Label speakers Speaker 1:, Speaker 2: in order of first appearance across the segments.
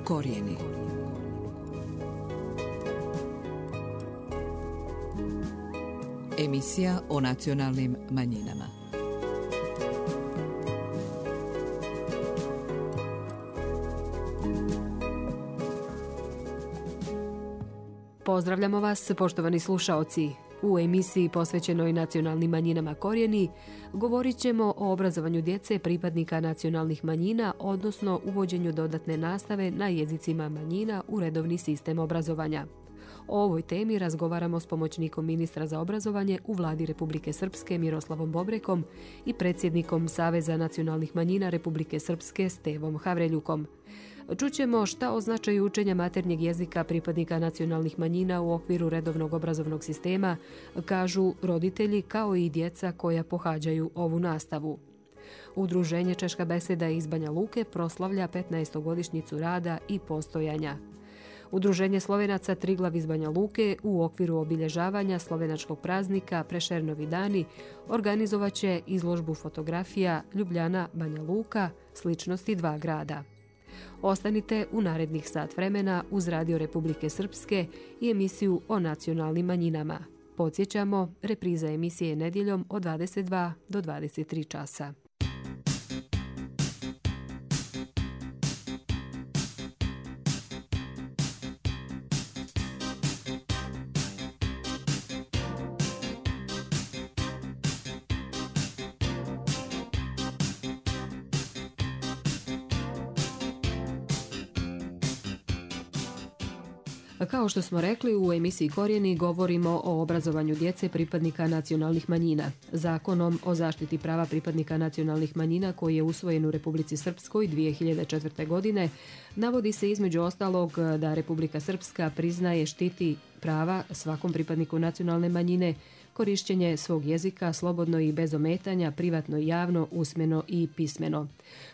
Speaker 1: Korijeni. Emisija o nacionalnim manjinama.
Speaker 2: Pozdravljamo vas, poštovani slušaoci. U emisiji posvećenoj nacionalnim manjinama Korijeni govorit ćemo o obrazovanju djece pripadnika nacionalnih manjina, odnosno uvođenju dodatne nastave na jezicima manjina u redovni sistem obrazovanja. O ovoj temi razgovaramo s pomoćnikom ministra za obrazovanje u Vladi Republike Srpske Miroslavom Bobrekom i predsjednikom Saveza nacionalnih manjina Republike Srpske Stevom Havreljukom. Čućemo šta o značaju učenja maternjeg jezika pripadnika nacionalnih manjina u okviru redovnog obrazovnog sistema kažu roditelji kao i djeca koja pohađaju ovu nastavu. Udruženje Češka beseda iz Banja Luke proslavlja 15-godišnjicu rada i postojanja. Udruženje Slovenaca Triglav iz Banja Luke u okviru obilježavanja slovenačkog praznika Prešernovi dani organizovaće izložbu fotografija Ljubljana Banja Luka, sličnosti dva grada. Ostanite u narednih sat vremena uz Radio Republike Srpske i emisiju o nacionalnim manjinama. Podsjećamo, repriza emisije nedjeljom od 22 do 23 časa. Kao što smo rekli, u emisiji Korijeni govorimo o obrazovanju djece pripadnika nacionalnih manjina. Zakonom o zaštiti prava pripadnika nacionalnih manjina koji je usvojen u Republici Srpskoj 2004. godine navodi se između ostalog da Republika Srpska priznaje, štiti prava svakom pripadniku nacionalne manjine, korišćenje svog jezika slobodno i bez ometanja, privatno i javno, usmeno i pismeno.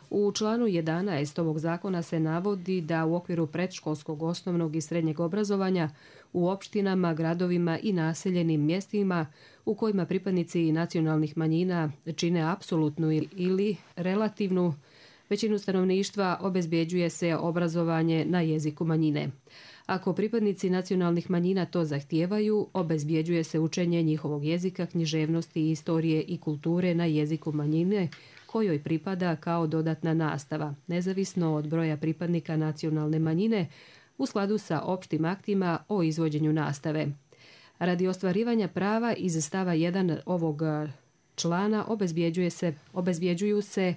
Speaker 2: U članu 11 ovog zakona se navodi da u okviru predškolskog, osnovnog i srednjeg obrazovanja u opštinama, gradovima i naseljenim mjestima u kojima pripadnici nacionalnih manjina čine apsolutnu ili relativnu većinu stanovništva obezbjeđuje se obrazovanje na jeziku manjine. Ako pripadnici nacionalnih manjina to zahtijevaju, obezbjeđuje se učenje njihovog jezika, književnosti, istorije i kulture na jeziku manjine kojoj pripada kao dodatna nastava, nezavisno od broja pripadnika nacionalne manjine u skladu sa opštim aktima o izvođenju nastave. Radi ostvarivanja prava iz stava 1 ovog člana obezbjeđuju se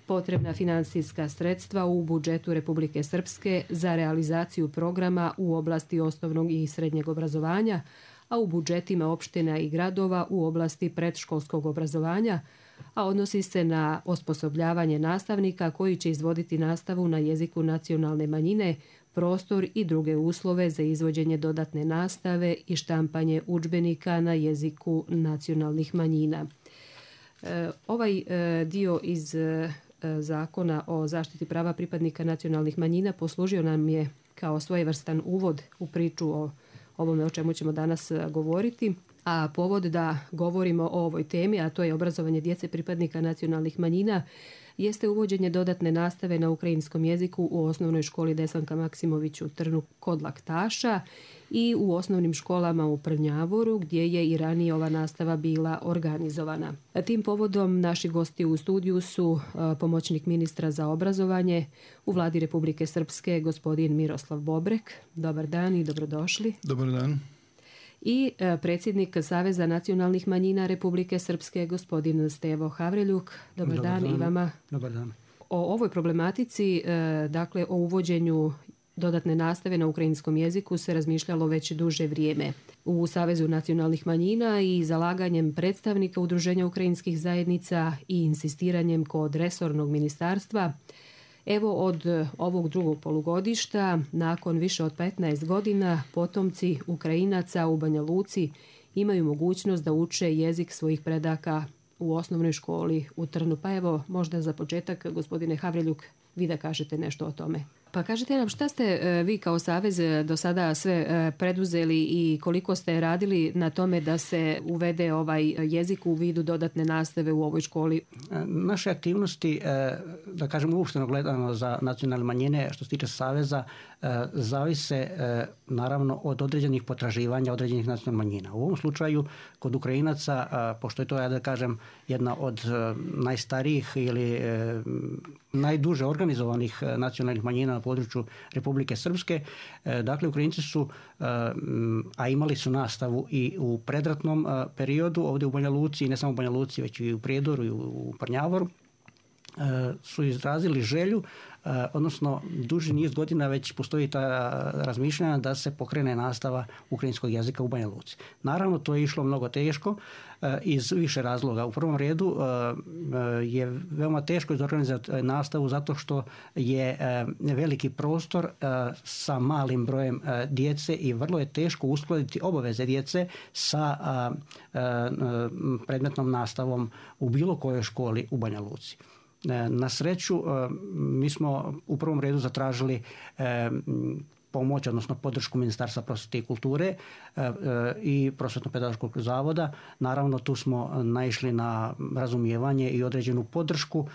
Speaker 2: potrebna financijska sredstva u budžetu Republike Srpske za realizaciju programa u oblasti osnovnog i srednjeg obrazovanja, a u budžetima opština i gradova u oblasti predškolskog obrazovanja, a odnosi se na osposobljavanje nastavnika koji će izvoditi nastavu na jeziku nacionalne manjine, prostor i druge uslove za izvođenje dodatne nastave i štampanje udžbenika na jeziku nacionalnih manjina. Ovaj dio iz Zakona o zaštiti prava pripadnika nacionalnih manjina poslužio nam je kao svojevrstan uvod u priču o ovome o čemu ćemo danas govoriti, a povod da govorimo o ovoj temi, a to je obrazovanje djece pripadnika nacionalnih manjina, jeste uvođenje dodatne nastave na ukrajinskom jeziku u osnovnoj školi Desanka Maksimović u Trnu kod Laktaša i u osnovnim školama u Prnjavoru, gdje je i ranije ova nastava bila organizovana. Tim povodom naši gosti u studiju su pomoćnik ministra za obrazovanje u Vladi Republike Srpske, gospodin Miroslav Bobrek. Dobar dan i dobrodošli.
Speaker 3: Dobar dan.
Speaker 2: I predsjednik Saveza nacionalnih manjina Republike Srpske, gospodin Stevo Havreljuk. Dobar dan i vama.
Speaker 4: Dobar dan.
Speaker 2: O ovoj problematici, dakle o uvođenju dodatne nastave na ukrajinskom jeziku se razmišljalo već duže vrijeme. U Savezu nacionalnih manjina i zalaganjem predstavnika Udruženja ukrajinskih zajednica i insistiranjem kod resornog ministarstva, evo od ovog drugog polugodišta, nakon više od 15 godina, potomci Ukrajinaca u Banja Luci imaju mogućnost da uče jezik svojih predaka u osnovnoj školi u Trnu. Pa evo, možda za početak, gospodine Havreljuk, vi da kažete nešto o tome. Pa kažite nam, šta ste vi kao Savez do sada sve preduzeli i koliko ste radili na tome da se uvede ovaj jezik u vidu dodatne nastave u ovoj školi?
Speaker 3: Naše aktivnosti, da kažem uopšteno gledano za nacionalne manjine, što se tiče Saveza, zavise naravno od određenih potraživanja određenih nacionalnih manjina. U ovom slučaju kod Ukrajinaca, pošto je to, ja da kažem, jedna od najstarijih ili najduže organizovanih nacionalnih manjina na području Republike Srpske, dakle Ukrajinci su, a imali su nastavu i u predratnom periodu ovdje u Banja Luci, i ne samo u Banja Luci, već i u Prijedoru i u Prnjavoru, su izrazili želju, odnosno duži niz godina već postoji ta razmišljanja da se pokrene nastava ukrajinskog jezika u Banja Luci. Naravno, to je išlo mnogo teško iz više razloga. U prvom redu je veoma teško izorganizati nastavu zato što je veliki prostor sa malim brojem djece i vrlo je teško uskladiti obaveze djece sa predmetnom nastavom u bilo kojoj školi u Banja Luci. Na sreću, mi smo u prvom redu zatražili pomoć, odnosno podršku Ministarstva prosvjete i kulture i Prosvjetno-pedagoškog zavoda. Naravno, tu smo naišli na razumijevanje i određenu podršku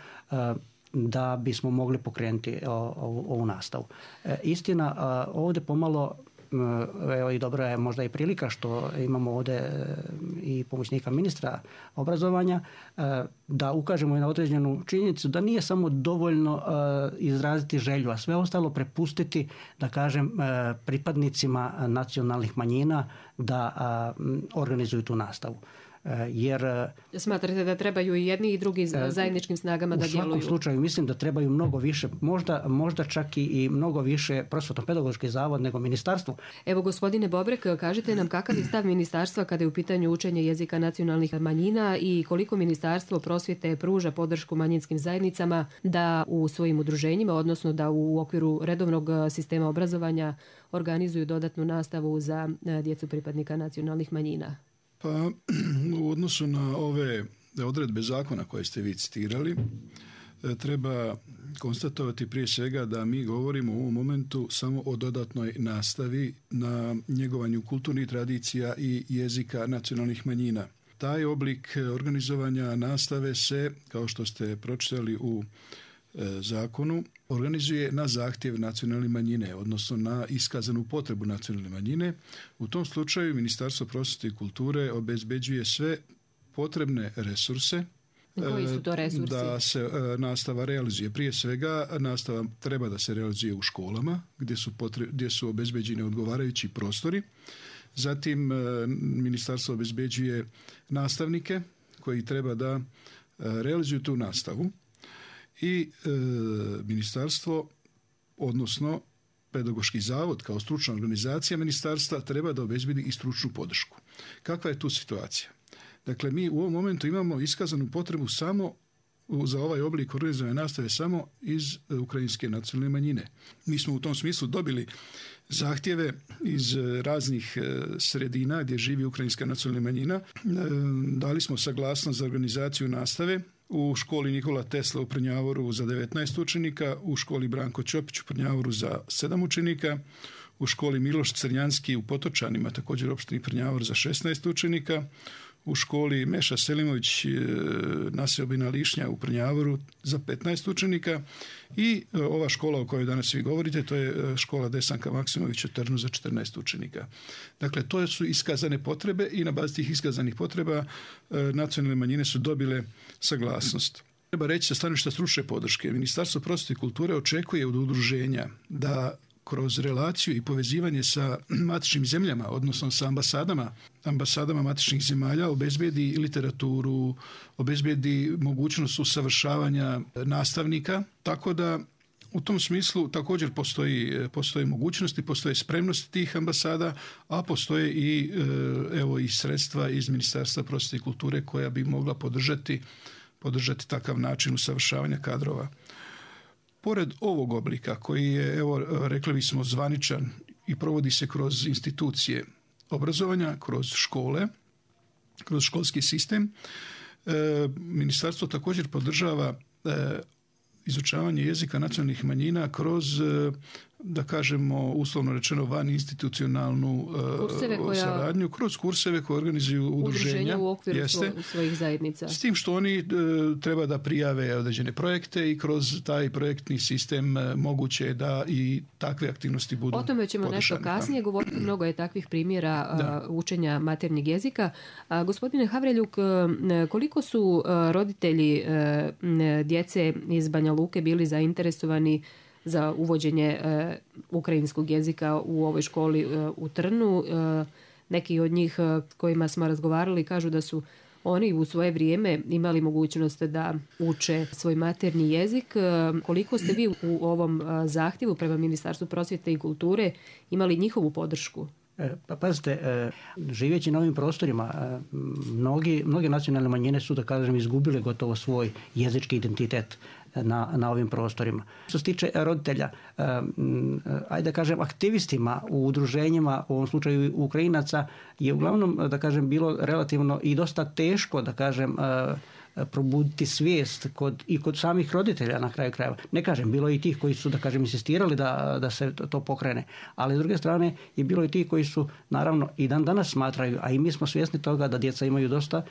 Speaker 3: da bismo mogli pokrenuti ovu nastavu. Istina, ovdje pomalo, evo i dobra je možda i prilika što imamo ovdje i pomoćnika ministra obrazovanja, da ukažemo i na određenu činjenicu da nije samo dovoljno izraziti želju, a sve ostalo prepustiti, da kažem, pripadnicima nacionalnih manjina da organizuju tu nastavu. Jer
Speaker 2: smatrate da trebaju i jedni i drugi zajedničkim snagama da djeluju? U
Speaker 3: svakom slučaju mislim da trebaju mnogo više, možda čak i mnogo više Prosvjetno-pedagoški zavod nego ministarstvo.
Speaker 2: Evo, gospodine Bobrek, kažite nam kakav je stav ministarstva kada je u pitanju učenja jezika nacionalnih manjina i koliko Ministarstvo prosvjete pruža podršku manjinskim zajednicama da u svojim udruženjima, odnosno da u okviru redovnog sistema obrazovanja organizuju dodatnu nastavu za djecu pripadnika nacionalnih manjina?
Speaker 4: Pa u odnosu na ove odredbe zakona koje ste vi citirali, treba konstatovati prije svega da mi govorimo u ovom momentu samo o dodatnoj nastavi na njegovanju kulturnih tradicija i jezika nacionalnih manjina. Taj oblik organizovanja nastave se, kao što ste pročitali u zakonu, organizuje na zahtjev nacionalne manjine, odnosno na iskazanu potrebu nacionalne manjine. U tom slučaju Ministarstvo prosvjete i kulture obezbeđuje sve potrebne resurse.
Speaker 2: Koji su to resursi?
Speaker 4: Da se nastava realizuje. Prije svega nastava treba da se realizuje u školama gdje su obezbeđeni odgovarajući prostori. Zatim Ministarstvo obezbeđuje nastavnike koji treba da realizuju tu nastavu. I ministarstvo, odnosno pedagoški zavod kao stručna organizacija ministarstva treba da obezbedi i stručnu podršku. Kakva je tu situacija? Dakle, mi u ovom momentu imamo iskazanu potrebu samo za ovaj oblik organizovanja nastave samo iz ukrajinske nacionalne manjine. Mi smo u tom smislu dobili zahtjeve iz raznih sredina gdje živi ukrajinska nacionalna manjina. Dali smo saglasnost za organizaciju nastave u školi Nikola Tesla u Prnjavoru za 19 učenika, u školi Branko Ćopić u Prnjavoru za 7 učenika, u školi Miloš Crnjanski u Potočanima, također opštini Prnjavor, za 16 učenika, u školi Meša Selimović naseobina Lišnja u Prnjavoru za 15 učenika i ova škola o kojoj danas vi govorite, to je škola Desanka Maksimović u Trnu za 14 učenika. Dakle, to su iskazane potrebe i na bazi tih iskazanih potreba nacionalne manjine su dobile saglasnost. Treba reći sa stanovišta stručne podrške. Ministarstvo prosvjete i kulture očekuje od udruženja da kroz relaciju i povezivanje sa matičnim zemljama, odnosno sa ambasadama matičnih zemalja, obezbedi literaturu, obezbedi mogućnost usavršavanja nastavnika, tako da u tom smislu također postoji mogućnosti, postoje spremnosti tih ambasada, a postoje i sredstva iz Ministarstva prosvjete i kulture koja bi mogla podržati takav način usavršavanja kadrova. Pored ovog oblika koji je, rekli bismo, zvaničan i provodi se kroz institucije obrazovanja, kroz škole, kroz školski sistem, ministarstvo također podržava izučavanje jezika nacionalnih manjina kroz, da kažemo, uslovno rečeno, van institucionalnu saradnju, kroz kurseve koje organizuju udruženja
Speaker 2: u okviru svojih zajednica.
Speaker 4: S tim što oni treba da prijave određene projekte i kroz taj projektni sistem moguće da i takve aktivnosti budu podržane. O tome ćemo
Speaker 2: nešto kasnije govoriti. Mnogo je takvih primjera učenja maternjeg jezika. Gospodine Havreljuk, koliko su roditelji djece iz Banja Luke bili zainteresovani za uvođenje ukrajinskog jezika u ovoj školi u Trnu? Neki od njih s kojima smo razgovarali kažu da su oni u svoje vrijeme imali mogućnost da uče svoj maternji jezik. Koliko ste vi u ovom zahtjevu prema Ministarstvu prosvjete i kulture imali njihovu podršku?
Speaker 3: Pa pazite, živeći na ovim prostorima, mnoge nacionalne manjine su, da kažem, izgubile gotovo svoj jezički identitet na ovim prostorima. Što se tiče roditelja, ajde da kažem, aktivistima u udruženjima, u ovom slučaju Ukrajinaca, je uglavnom, da kažem, bilo relativno i dosta teško, da kažem, probuditi svijest kod samih roditelja na kraju krajeva. Ne kažem, bilo je i tih koji su, da kažem, insistirali da se to pokrene, ali s druge strane je bilo i tih koji su, naravno, i dan danas smatraju, a i mi smo svjesni toga da djeca imaju dosta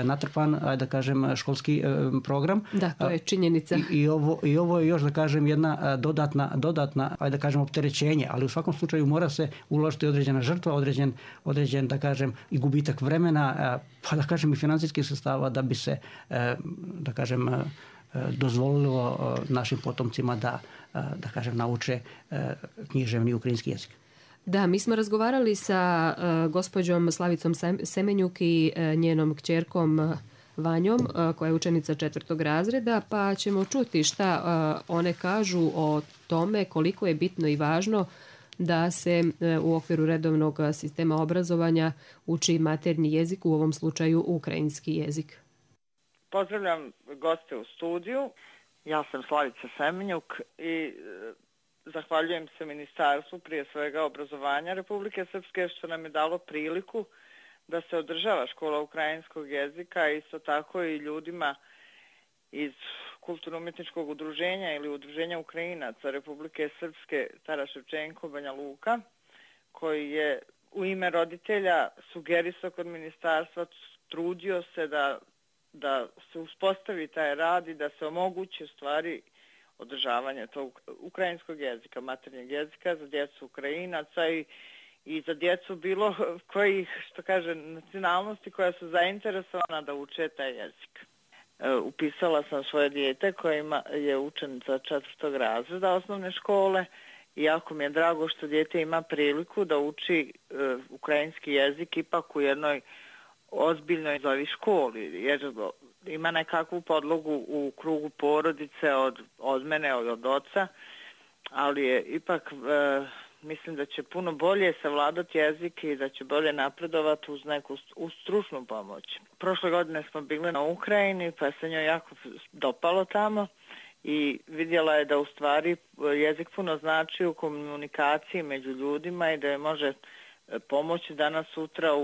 Speaker 3: natrpan, ajde da kažem, školski program.
Speaker 2: Da, to je činjenica.
Speaker 3: I ovo je još, da kažem, jedna dodatna, ajde da kažem, opterećenje, ali u svakom slučaju mora se uložiti određena žrtva, određen, da kažem, i gubitak vremena, pa da kažem i financijskih sredstava da bi se, da kažem, dozvolilo našim potomcima da kažem, nauče književni ukrajinski jezik.
Speaker 2: Da, mi smo razgovarali sa gospođom Slavicom Semenjuk i njenom kćerkom Vanjom, koja je učenica 4. razreda, pa ćemo čuti šta one kažu o tome koliko je bitno i važno da se u okviru redovnog sistema obrazovanja uči maternji jezik, u ovom slučaju ukrajinski jezik.
Speaker 5: Pozdravljam goste u studiju. Ja sam Slavica Semenjuk i zahvaljujem se Ministarstvu, prije svega obrazovanja Republike Srpske, što nam je dalo priliku da se održava škola ukrajinskog jezika, a isto tako i ljudima iz kulturno-umjetničkog udruženja ili udruženja Ukrajinaca Republike Srpske Taras Ševčenko Banja Luka, koji je u ime roditelja sugerisao kod ministarstva, trudio se da se uspostavi taj rad i da se omogući u stvari održavanje tog ukrajinskog jezika, maternjeg jezika za djecu Ukrajinaca i za djecu bilo kojih, što kaže, nacionalnosti koja su zainteresovana da uče taj jezik. Upisala sam svoje dijete koja je učenica 4. razreda osnovne škole i jako mi je drago što dijete ima priliku da uči ukrajinski jezik ipak u jednoj ozbiljnoj školi, jer ima nekakvu podlogu u krugu porodice od mene, od oca, ali je ipak, mislim da će puno bolje savladati jezik i da će bolje napredovati uz neku stručnu pomoć. Prošle godine smo bili na Ukrajini, pa se njoj jako dopalo tamo i vidjela je da u stvari jezik puno znači u komunikaciji među ljudima i da je može pomoći danas sutra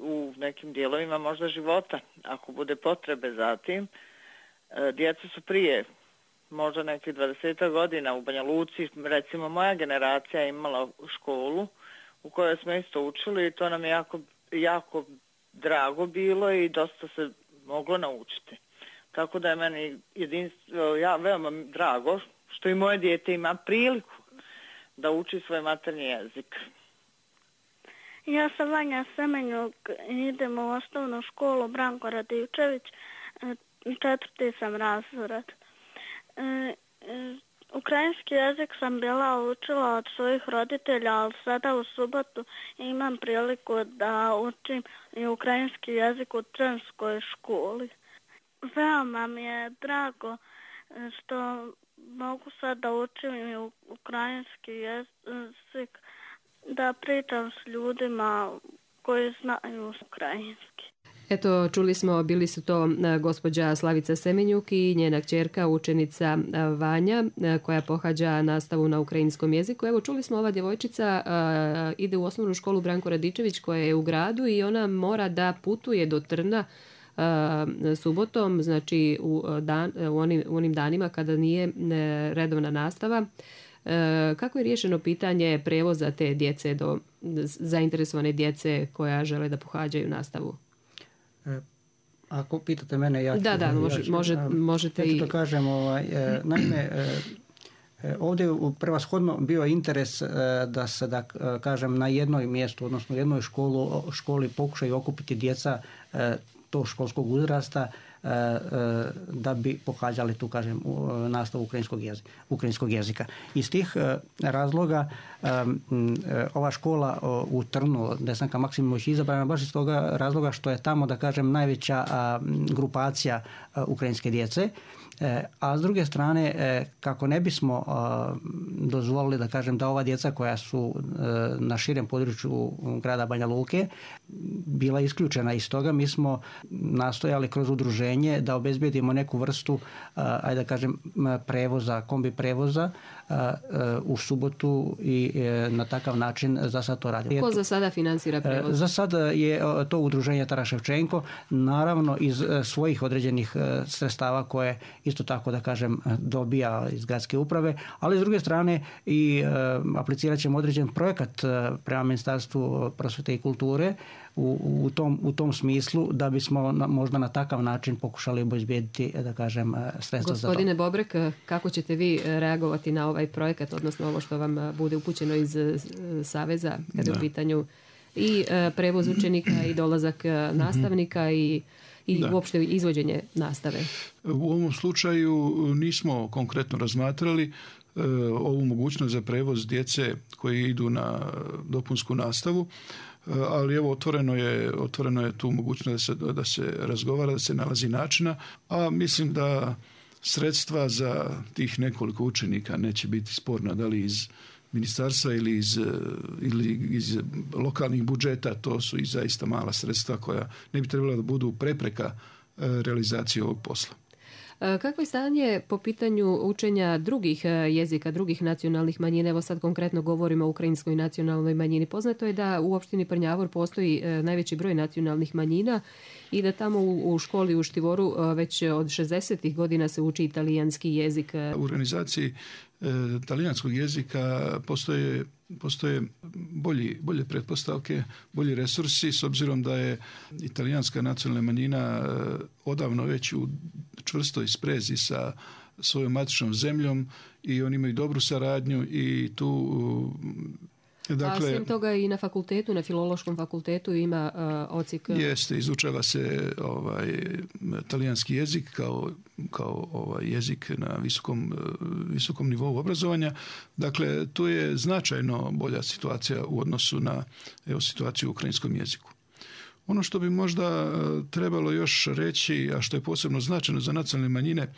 Speaker 5: u nekim dijelovima možda života, ako bude potrebe za tim. Djeca su prije možda nekih 20 godina u Banja Luci, recimo moja generacija imala školu u kojoj smo isto učili i to nam je jako drago bilo i dosta se moglo naučiti. Tako da je meni veoma drago što i moje dijete ima priliku da uči svoj maternji jezik.
Speaker 6: Ja sam Vanja Semenjuk, idem u osnovnu školu Branko Radičević, 4. sam razred. Ukrajinski jezik sam bila učila od svojih roditelja, ali sada u subotu imam priliku da učim i ukrajinski jezik u Trnskoj školi. Veoma mi je drago što mogu sad da učim i ukrajinski jezik, da pričam s ljudima koji znaju ukrajinski.
Speaker 2: Eto, čuli smo, bili su to gospođa Slavica Semenjuk i njena kćerka, učenica Vanja, koja pohađa nastavu na ukrajinskom jeziku. Evo, čuli smo, ova djevojčica ide u osnovnu školu Branko Radičević koja je u gradu i ona mora da putuje do Trna subotom, znači u onim danima kada nije redovna nastava. Kako je riješeno pitanje prevoza te djece do zainteresovane djece koja žele da pohađaju nastavu?
Speaker 3: Ako pitate mene, ja ću...
Speaker 2: Možete i...
Speaker 3: Ja ću to kažem, naime, ovdje je prevashodno bio interes da se, da kažem, na jednoj mjestu, odnosno jednoj školi pokušaju okupiti djeca tog školskog uzrasta da bi pohađali tu, kažem, nastavu ukrajinskog jezika. Iz tih razloga ova škola u Trnu, Desanka Maksimović, izabrana baš iz toga razloga što je tamo, da kažem, najveća grupacija ukrajinske djece. A s druge strane, kako ne bismo dozvolili, da kažem, da ova djeca koja su na širem području grada Banja Luke bila isključena iz toga, mi smo nastojali kroz udruženje da obezbijedimo neku vrstu, ajde da kažem, prevoza, kombi prevoza u subotu i na takav način za sad to radimo.
Speaker 2: Ko za sada financira prevoz?
Speaker 3: Za sada je to udruženje Taras Ševčenko, naravno iz svojih određenih sredstava koje isto tako, da kažem, dobija iz gradske uprave, ali s druge strane i aplicirat ćemo određen projekat prema Ministarstvu prosvjete i kulture u tom smislu da bismo možda na takav način pokušali obezbijediti, da kažem, sredstva za to.
Speaker 2: Gospodine Bobrek, kako ćete vi reagovati na ovaj projekat, odnosno ovo što vam bude upućeno iz Saveza kada je u pitanju i prevoz učenika i dolazak nastavnika i uopšte izvođenje nastave?
Speaker 4: U ovom slučaju nismo konkretno razmatrali ovu mogućnost za prevoz djece koji idu na dopunsku nastavu, ali evo otvoreno je tu mogućnost da se razgovara, da se nalazi načina, a mislim da sredstva za tih nekoliko učenika neće biti sporna, da li iz ministarstva ili iz lokalnih budžeta. To su i zaista mala sredstva koja ne bi trebala da budu prepreka realizacije ovog posla.
Speaker 2: Kako je stanje po pitanju učenja drugih jezika, drugih nacionalnih manjina? Evo sad konkretno govorimo o ukrajinskoj nacionalnoj manjini. Poznato je da u opštini Prnjavor postoji najveći broj nacionalnih manjina i da tamo u školi u Štivoru već od 60. godina se uči italijanski jezik.
Speaker 4: U organizaciji talijanskog jezika postoje bolje pretpostavke, bolji resursi, s obzirom da je italijanska nacionalna manjina odavno već u čvrstoj sprezi sa svojom matičnom zemljom i oni imaju dobru saradnju i tu...
Speaker 2: Dakle, a svim toga i na fakultetu, na Filološkom fakultetu ima odsjek...
Speaker 4: Jeste, izučava se talijanski jezik kao jezik na visokom nivou obrazovanja. Dakle, tu je značajno bolja situacija u odnosu na situaciju u ukrajinskom jeziku. Ono što bi možda trebalo još reći, a što je posebno značajno za nacionalne manjine,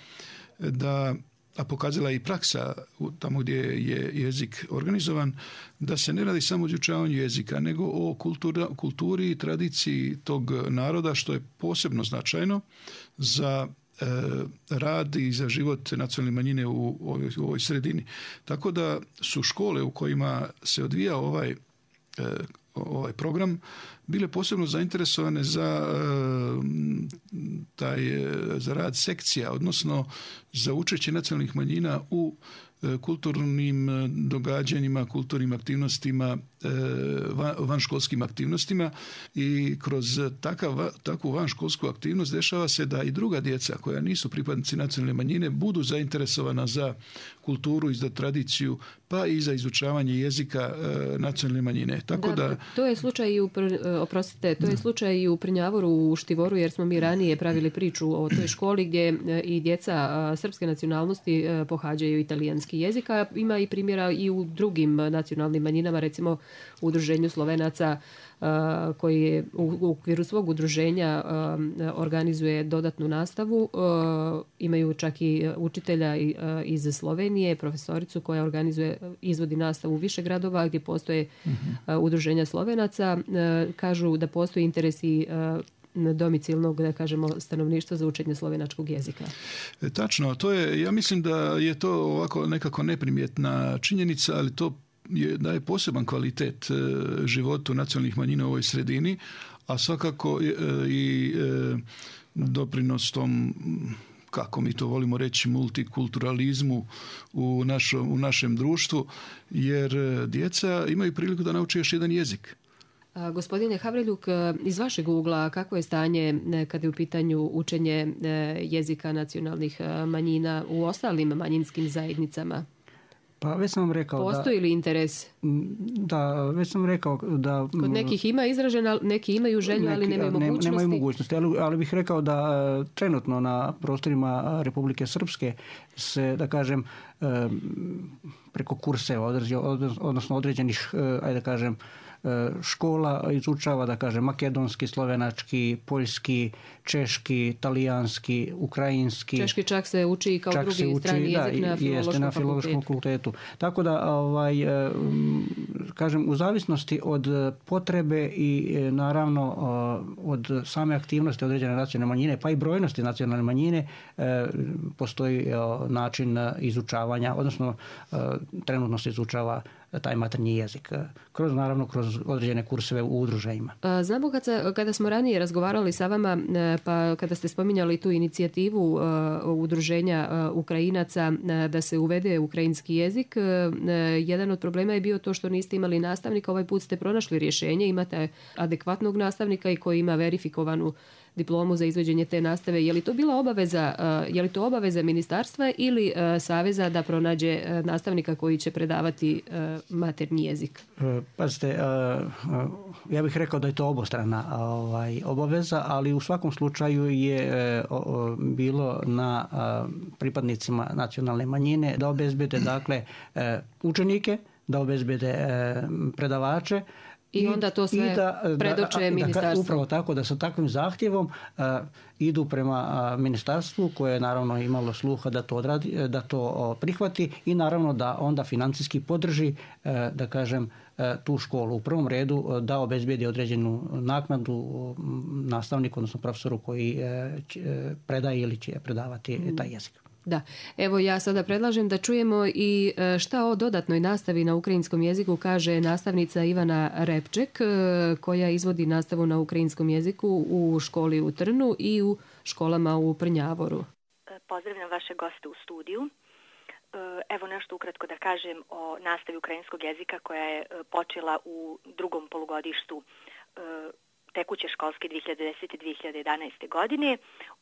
Speaker 4: a pokazala i praksa tamo gdje je jezik organizovan, da se ne radi samo o izučavanju jezika, nego o kulturi i tradiciji tog naroda, što je posebno značajno za rad i za život nacionalne manjine u ovoj sredini. Tako da su škole u kojima se odvija ovaj program bile posebno zainteresovane za rad sekcija, odnosno za učešće nacionalnih manjina u kulturnim događanjima, kulturnim aktivnostima, vanškolskim aktivnostima i kroz takvu vanškolsku aktivnost dešava se da i druga djeca koja nisu pripadnici nacionalne manjine budu zainteresovana za kulturu i za tradiciju, pa i za izučavanje jezika nacionalne manjine.
Speaker 2: To je slučaj i u Prnjavoru, u Štivoru, jer smo mi ranije pravili priču o toj školi gdje i djeca srpske nacionalnosti pohađaju italijanski jezik, a ima i primjera i u drugim nacionalnim manjinama, recimo u Udruženju Slovenaca koji je u okviru svog udruženja organizuje dodatnu nastavu. Imaju čak i učitelja iz Slovenije, profesoricu koja izvodi nastavu u više gradova gdje postoje udruženja Slovenaca. Kažu da postoji interesi domicilnog, da kažemo, stanovništva za učenje slovenačkog jezika.
Speaker 4: Tačno, ja mislim da je to ovako nekako neprimjetna činjenica, ali to daje poseban kvalitet životu nacionalnih manjina u ovoj sredini, a svakako i doprinos tom, kako mi to volimo reći, multikulturalizmu u našem društvu, jer djeca imaju priliku da nauče još jedan jezik.
Speaker 2: Gospodine Havreljuk, iz vašeg ugla kako je stanje kada je u pitanju učenje jezika nacionalnih manjina u ostalim manjinskim zajednicama?
Speaker 3: Pa već sam vam rekao
Speaker 2: postoji li interes?
Speaker 3: Da, već sam rekao da...
Speaker 2: Kod nekih ima izražena, neki imaju želju, ali nemaju mogućnosti.
Speaker 3: Nemaju mogućnosti, ali bih rekao da trenutno na prostorima Republike Srpske se, da kažem, preko kurseva, odnosno određenih, ajde da kažem, škola izučava, da kažem, makedonski, slovenački, poljski, češki, talijanski, ukrajinski.
Speaker 2: Češki čak se uči kao drugi strani jezik na Filološkom fakultetu.
Speaker 3: Tako da, kažem, u zavisnosti od potrebe i naravno od same aktivnosti određene nacionalne manjine, pa i brojnosti nacionalne manjine, postoji način izučavanja, odnosno trenutno se izučava taj maternji jezik, kroz određene kurseve u udruženjima.
Speaker 2: Znamo kada smo ranije razgovarali sa vama, pa kada ste spominjali tu inicijativu udruženja Ukrajinaca da se uvede ukrajinski jezik, jedan od problema je bio to što niste imali nastavnika. Ovaj put ste pronašli rješenje, imate adekvatnog nastavnika i koji ima verifikovanu diplomu za izvođenje te nastave. Je li to bila obaveza ministarstva ili saveza da pronađe nastavnika koji će predavati maternji jezik?
Speaker 3: Pazite, ja bih rekao da je to obostrana obaveza, ali u svakom slučaju je bilo na pripadnicima nacionalne manjine da obezbede, dakle, učenike, da obezbede predavače,
Speaker 2: i onda to sve predoče ministarstvu.
Speaker 3: Upravo tako, da sa takvim zahtjevom idu prema ministarstvu koje je naravno imalo sluha da to odradi, da to prihvati i naravno da onda financijski podrži, da kažem, tu školu. U prvom redu da obezbedi određenu naknadu nastavniku, odnosno profesoru koji predaje ili će predavati taj jezik.
Speaker 2: Da, evo ja sada predlažem da čujemo i šta o dodatnoj nastavi na ukrajinskom jeziku kaže nastavnica Ivana Repček, koja izvodi nastavu na ukrajinskom jeziku u školi u Trnu i u školama u Prnjavoru.
Speaker 7: Pozdravljam vaše goste u studiju. Evo nešto ukratko da kažem o nastavi ukrajinskog jezika koja je počela u drugom polugodištu tekuće školske 2010-2011. godine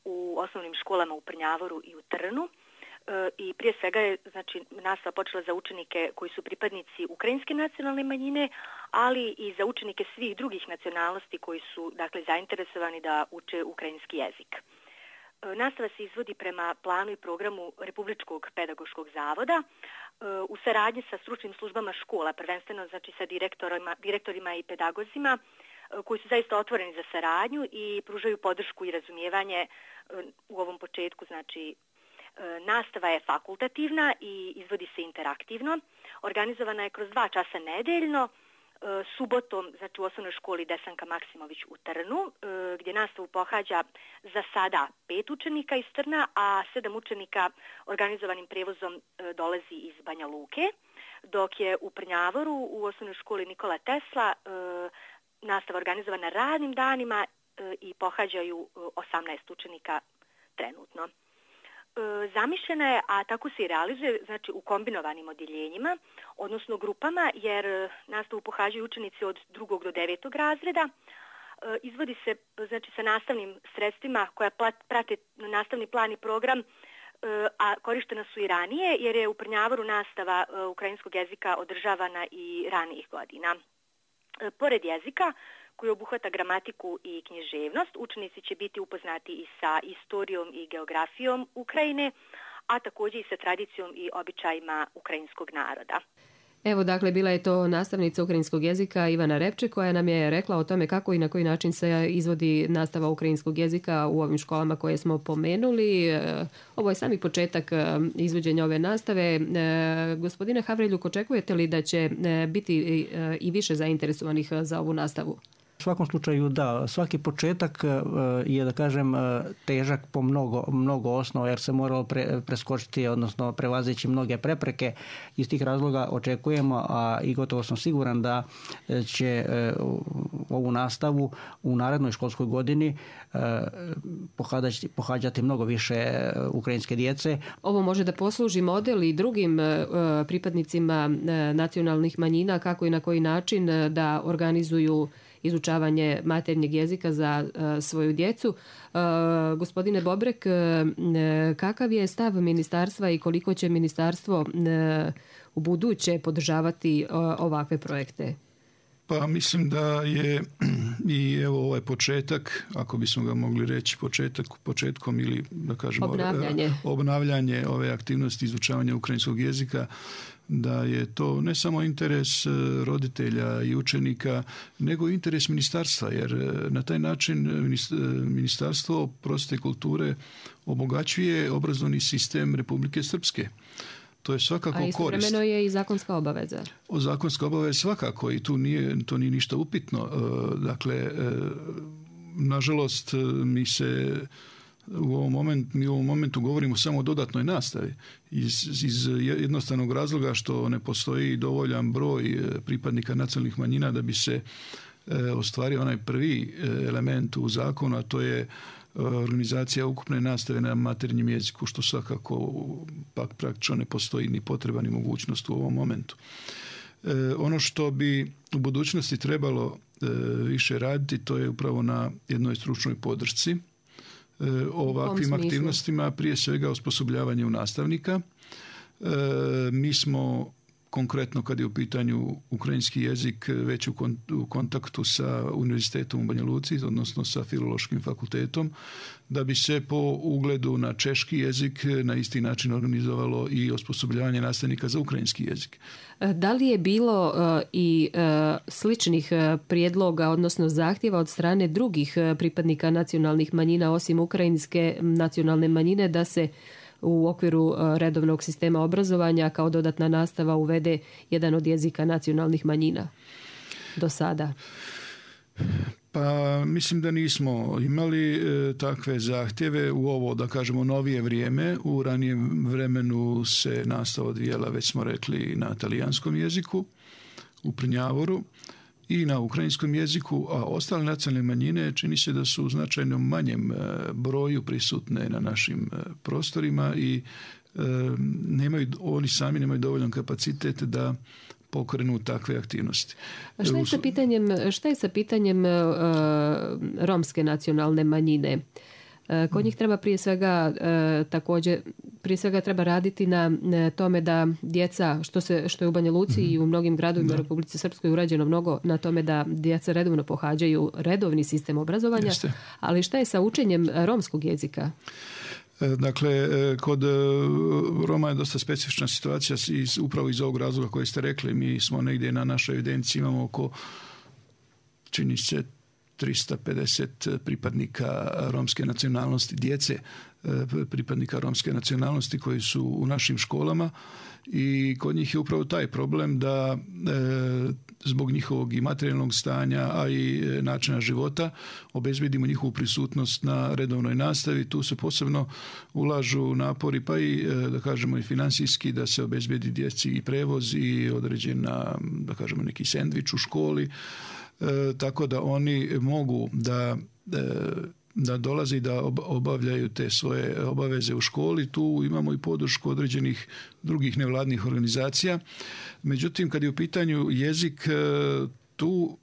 Speaker 7: u osnovnim školama u Prnjavoru i u Trnu. I prije svega je nastava počela za učenike koji su pripadnici ukrajinske nacionalne manjine, ali i za učenike svih drugih nacionalnosti koji su zainteresovani da uče ukrajinski jezik. Nastava se izvodi prema planu i programu Republičkog pedagoškog zavoda u saradnji sa stručnim službama škola, prvenstveno sa direktorima i pedagozima koji su zaista otvoreni za saradnju i pružaju podršku i razumijevanje u ovom početku. Nastava je fakultativna i izvodi se interaktivno. Organizovana je kroz 2 časa nedeljno, subotom u osnovnoj školi Desanka Maksimović u Trnu, gdje nastavu pohađa za sada 5 učenika iz Trna, a 7 učenika organizovanim prevozom dolazi iz Banja Luke, dok je u Prnjavoru u osnovnoj školi Nikola Tesla nastava organizovana radnim danima i pohađaju 18 učenika trenutno. Zamišljena je, a tako se i realizuje, u kombinovanim odjeljenjima, odnosno grupama, jer nastavu pohađaju učenici od 2. do 9. razreda. Izvodi se sa nastavnim sredstvima koja prate nastavni plan i program, a korištena su i ranije, jer je u Prnjavoru nastava ukrajinskog jezika održavana i ranijih godina. Pored jezika, koji obuhvata gramatiku i književnost, učenici će biti upoznati i sa istorijom i geografijom Ukrajine, a također i sa tradicijom i običajima ukrajinskog naroda.
Speaker 2: Evo, dakle, bila je to nastavnica ukrajinskog jezika Ivana Repček koja nam je rekla o tome kako i na koji način se izvodi nastava ukrajinskog jezika u ovim školama koje smo pomenuli. Ovo je sami početak izvođenja ove nastave. Gospodine Havreljuk, očekujete li da će biti i više zainteresovanih za ovu nastavu?
Speaker 3: U svakom slučaju da, svaki početak je da kažem težak po mnogo osnova jer se moralo preskočiti, odnosno prevazići mnoge prepreke. Iz tih razloga očekujemo, a i gotovo sam siguran da će ovu nastavu u narednoj školskoj godini pohađati mnogo više ukrajinske djece.
Speaker 2: Ovo može da posluži model i drugim pripadnicima nacionalnih manjina kako i na koji način da organizuju izučavanje maternjeg jezika za svoju djecu. Gospodine Bobrek, kakav je stav ministarstva i koliko će ministarstvo u buduće podržavati ovakve projekte?
Speaker 4: Pa mislim da je i evo ovaj početak, ako bismo ga mogli reći početkom ili da kažemo obnavljanje ove aktivnosti izučavanja ukrajinskog jezika, da je to ne samo interes roditelja i učenika, nego i interes ministarstva, jer na taj način Ministarstvo prosvjete i kulture obogaćuje obrazovni sistem Republike Srpske. To je svakako korist. A
Speaker 2: istovremeno je i zakonska obaveza.
Speaker 4: Zakonska obaveza svakako i to nije ništa upitno. Dakle, nažalost, mi u ovom momentu govorimo samo o dodatnoj nastavi iz jednostavnog razloga što ne postoji dovoljan broj pripadnika nacionalnih manjina da bi se ostvario onaj prvi element u zakonu, a to je organizacija ukupne nastave na materinjem jeziku, što svakako pak praktično ne postoji ni potreba ni mogućnost u ovom momentu. Ono što bi u budućnosti trebalo više raditi, to je upravo na jednoj stručnoj podršci ovakvim aktivnostima, prije svega osposobljavanju nastavnika. Mi smo konkretno kad je u pitanju ukrajinski jezik već u kontaktu sa Univerzitetom u Banja Luci, odnosno sa Filološkim fakultetom, da bi se po ugledu na češki jezik na isti način organizovalo i osposobljavanje nastavnika za ukrajinski jezik.
Speaker 2: Da li je bilo i sličnih prijedloga, odnosno zahtjeva od strane drugih pripadnika nacionalnih manjina osim ukrajinske nacionalne manjine da se u okviru redovnog sistema obrazovanja kao dodatna nastava uvede jedan od jezika nacionalnih manjina do sada?
Speaker 4: Pa mislim da nismo imali takve zahtjeve u ovo, da kažemo, novije vrijeme. U ranijem vremenu se nastava odvijala, već smo rekli, na talijanskom jeziku, u Prnjavoru i na ukrajinskom jeziku, a ostale nacionalne manjine čini se da su u značajno manjem broju prisutne na našim prostorima i oni sami nemaju dovoljan kapacitet da pokrenu takve aktivnosti.
Speaker 2: A šta je sa pitanjem romske nacionalne manjine? Kod njih treba prije svega treba raditi na tome da djeca, što je u Banja Luci i u mnogim gradovima u Republici Srpskoj urađeno mnogo na tome da djeca redovno pohađaju redovni sistem obrazovanja, ali šta je sa učenjem romskog jezika?
Speaker 4: Dakle, kod Roma je dosta specifična situacija upravo iz ovog razloga koji ste rekli. Mi smo negdje na našoj evidenciji imamo oko, čini se, 350 pripadnika romske nacionalnosti, djece pripadnika romske nacionalnosti koji su u našim školama i kod njih je upravo taj problem da zbog njihovog i materijalnog stanja, a i načina života obezbedimo njihovu prisutnost na redovnoj nastavi. Tu se posebno ulažu napori, pa i da kažemo i financijski, da se obezbedi djeci i prevoz i određena, da kažemo, neki sendvič u školi, tako da oni mogu da dolaze i da obavljaju te svoje obaveze u školi. Tu imamo i podršku određenih drugih nevladnih organizacija. Međutim, kad je u pitanju jezik, tu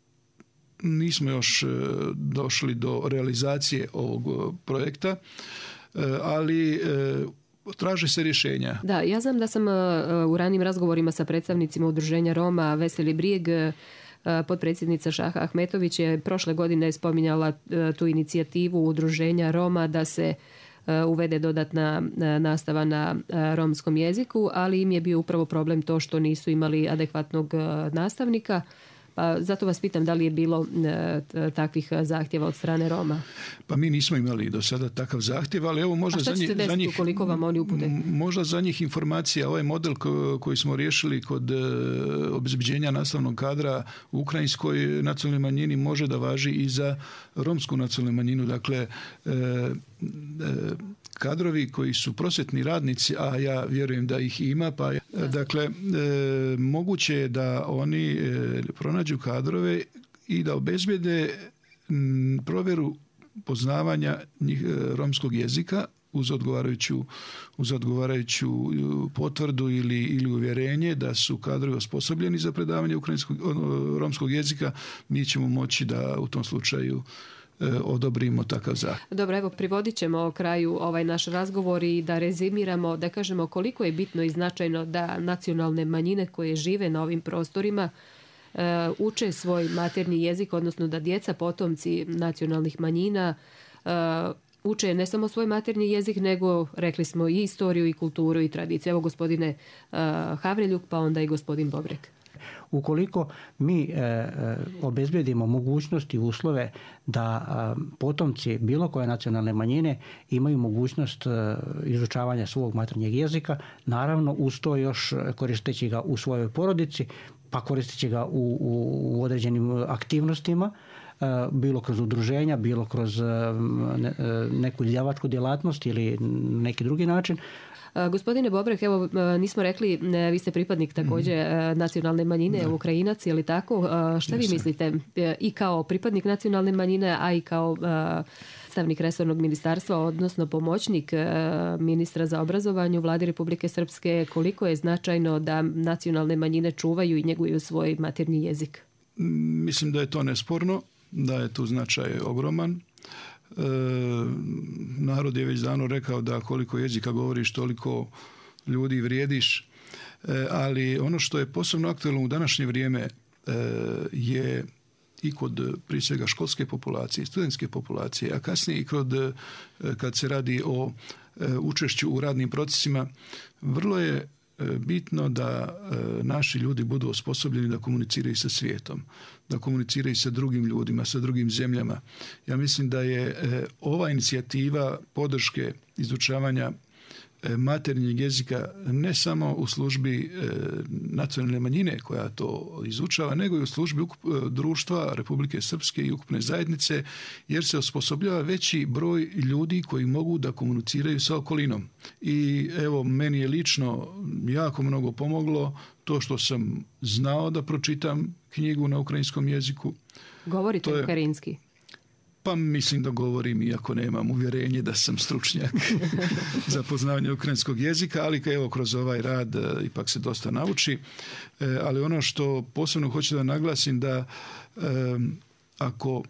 Speaker 4: nismo još došli do realizacije ovog projekta, ali traže se rješenja.
Speaker 2: Da, ja znam da sam u ranijim razgovorima sa predstavnicima udruženja Roma Veseli brijeg, potpredsjednica Šaha Ahmetović je prošle godine spominjala tu inicijativu udruženja Roma da se uvede dodatna nastava na romskom jeziku, ali im je bio upravo problem to što nisu imali adekvatnog nastavnika. Pa zato vas pitam da li je bilo takvih zahtjeva od strane Roma?
Speaker 4: Pa mi nismo imali do sada takav zahtjev, ali evo možda
Speaker 2: za njih ukoliko vam oni upute?
Speaker 4: Možda za njih informacija, ovaj model koji smo riješili kod obezbeđenja nastavnog kadra u ukrajinskoj nacionalnoj manjini može da važi i za romsku nacionalnu manjinu. Dakle, kadrovi koji su prosvjetni radnici, a ja vjerujem da ih ima, dakle, moguće je da oni pronađu kadrove i da obezbede provjeru poznavanja romskog jezika uz odgovarajuću potvrdu ili uvjerenje da su kadrovi osposobljeni za predavanje romskog jezika. Mi ćemo moći da u tom slučaju odobrimo takav zahtjev.
Speaker 2: Dobro, evo privodit ćemo kraju ovaj naš razgovor i da rezimiramo, da kažemo koliko je bitno i značajno da nacionalne manjine koje žive na ovim prostorima uče svoj maternji jezik, odnosno da djeca potomci nacionalnih manjina uče ne samo svoj maternji jezik, nego rekli smo i istoriju i kulturu i tradiciju. Evo gospodine Havreljuk, pa onda i gospodin Bobrek.
Speaker 3: Ukoliko mi obezbedimo mogućnosti i uslove da potomci bilo koje nacionalne manjine imaju mogućnost izučavanja svog maternjeg jezika, naravno uz to još koristeći ga u svojoj porodici, pa koristeći ga u određenim aktivnostima, bilo kroz udruženja, bilo kroz neku izdavačku djelatnost ili neki drugi način.
Speaker 2: Gospodine Bobrek, evo nismo rekli, vi ste pripadnik također nacionalne manjine, Ukrajinac, je li tako? Šta vi mislite i kao pripadnik nacionalne manjine, a i kao predstavnik resornog ministarstva, odnosno pomoćnik ministra za obrazovanje u Vladi Republike Srpske, koliko je značajno da nacionalne manjine čuvaju i njeguju svoj maternji jezik?
Speaker 4: Mislim da je to nesporno, da je tu značaj ogroman. Narod je već davno rekao da koliko jezika govoriš, toliko ljudi vrijediš, ali ono što je posebno aktualno u današnje vrijeme je i kod prije svega školske populacije, studentske populacije, a kasnije i kad se radi o učešću u radnim procesima, vrlo je bitno da naši ljudi budu osposobljeni da komuniciraju sa svijetom, da komuniciraju sa drugim ljudima, sa drugim zemljama. Ja mislim da je ova inicijativa podrške izučavanja maternjeg jezika ne samo u službi nacionalne manjine koja to izučava, nego i u službi društva Republike Srpske i ukupne zajednice, jer se osposobljava veći broj ljudi koji mogu da komuniciraju sa okolinom. I evo, meni je lično jako mnogo pomoglo to što sam znao da pročitam knjigu na ukrajinskom jeziku.
Speaker 2: Govorite ukrajinski?
Speaker 4: Pa mislim da govorim, iako nemam uvjerenje da sam stručnjak za poznavanje ukrajinskog jezika, ali evo kroz ovaj rad ipak se dosta nauči. Ali ono što posebno hoću da naglasim da ako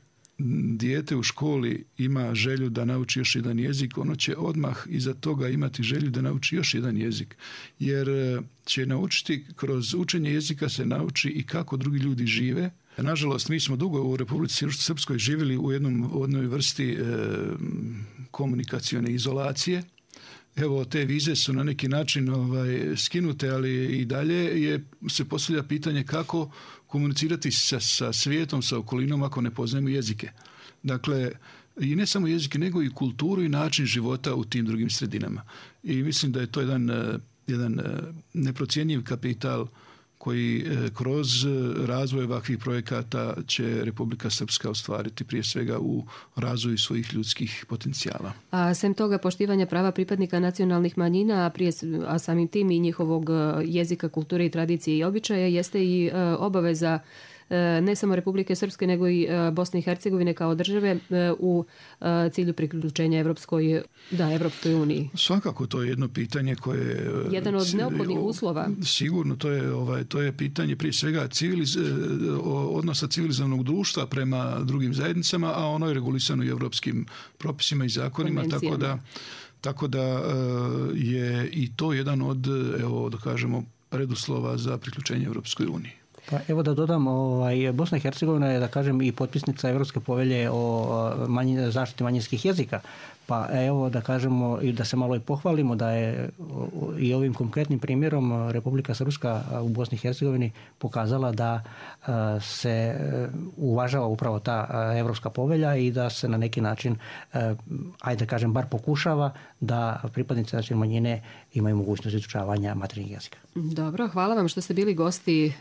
Speaker 4: dijete u školi ima želju da nauči još jedan jezik, ono će odmah iza toga imati želju da nauči još jedan jezik. Jer će naučiti, kroz učenje jezika se nauči i kako drugi ljudi žive. Nažalost, mi smo dugo u Republici Srpskoj živjeli u jednoj vrsti komunikacione izolacije. Evo, te vize su na neki način skinute, ali i dalje se postavlja pitanje kako komunicirati sa svijetom, sa okolinom ako ne poznajemo jezike. Dakle, i ne samo jezike, nego i kulturu i način života u tim drugim sredinama. I mislim da je to jedan neprocjenjiv kapital koji kroz razvoj ovakvih projekata će Republika Srpska ostvariti prije svega u razvoju svojih ljudskih potencijala.
Speaker 2: A sem toga poštivanja prava pripadnika nacionalnih manjina, a samim tim i njihovog jezika, kulture i tradicije i običaja, jeste i obaveza ne samo Republike Srpske, nego i Bosne i Hercegovine kao države u cilju priključenja Evropskoj uniji.
Speaker 4: Svakako to je jedno pitanje koje je
Speaker 2: jedan od neophodnih uslova.
Speaker 4: Sigurno to je pitanje prije svega odnosa civilizovanog društva prema drugim zajednicama, a ono je regulisano i evropskim propisima i zakonima, tako da je i to jedan od, evo da kažemo, preduslova za priključenje Evropskoj uniji.
Speaker 3: Pa evo da dodam, Bosna i Hercegovina je, da kažem, i potpisnica Evropske povelje o zaštiti manjinskih jezika. Pa evo da kažemo i da se malo i pohvalimo da je i ovim konkretnim primjerom Republika Srpska u Bosni i Hercegovini pokazala da se uvažava upravo ta Evropska povelja i da se na neki način, ajde da kažem, bar pokušava da pripadnici nacionalne manjine imaju mogućnost izučavanja materinjeg jezika.
Speaker 2: Dobro, hvala vam što ste bili gosti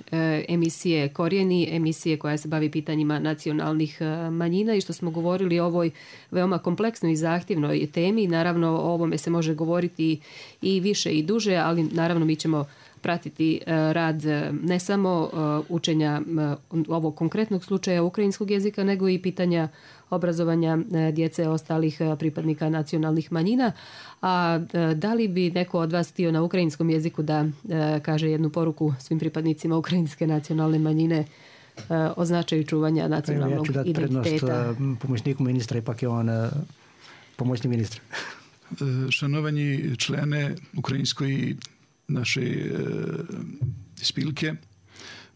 Speaker 2: emisije Korijeni, emisije koja se bavi pitanjima nacionalnih manjina i što smo govorili o ovoj veoma kompleksnoj i zahtjevnoj temi. Naravno, o ovome se može govoriti i više i duže, ali naravno mi ćemo pratiti rad ne samo učenja ovog konkretnog slučaja ukrajinskog jezika, nego i pitanja obrazovanja djece ostalih pripadnika nacionalnih manjina. A da li bi neko od vas htio na ukrajinskom jeziku da kaže jednu poruku svim pripadnicima ukrajinske nacionalne manjine o značaju čuvanja nacionalnog identiteta? Ja ću dati prednost
Speaker 3: pomoćniku ministra, ipak je on pomoćnik ministra.
Speaker 4: Шановні члени української нашої спілки,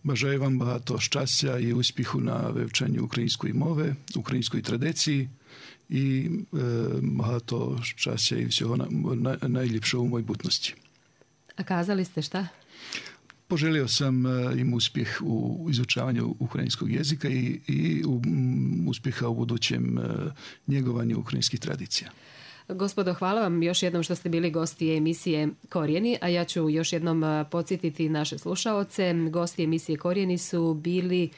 Speaker 4: бажаю вам багато щастя і успіху на вивченні української мови, української традиції і багато щастя і всього найліпшого в майбутності.
Speaker 2: A kazali ste šta?
Speaker 4: Poželio sam im uspjeh u izučavanju ukrajinskog jezika i uspjeha u budućem njegovanju ukrajinskih tradicija.
Speaker 2: Gospodo, hvala vam još jednom što ste bili gosti emisije Korijeni, a ja ću još jednom podsjetiti naše slušaoce. Gosti emisije Korijeni su bili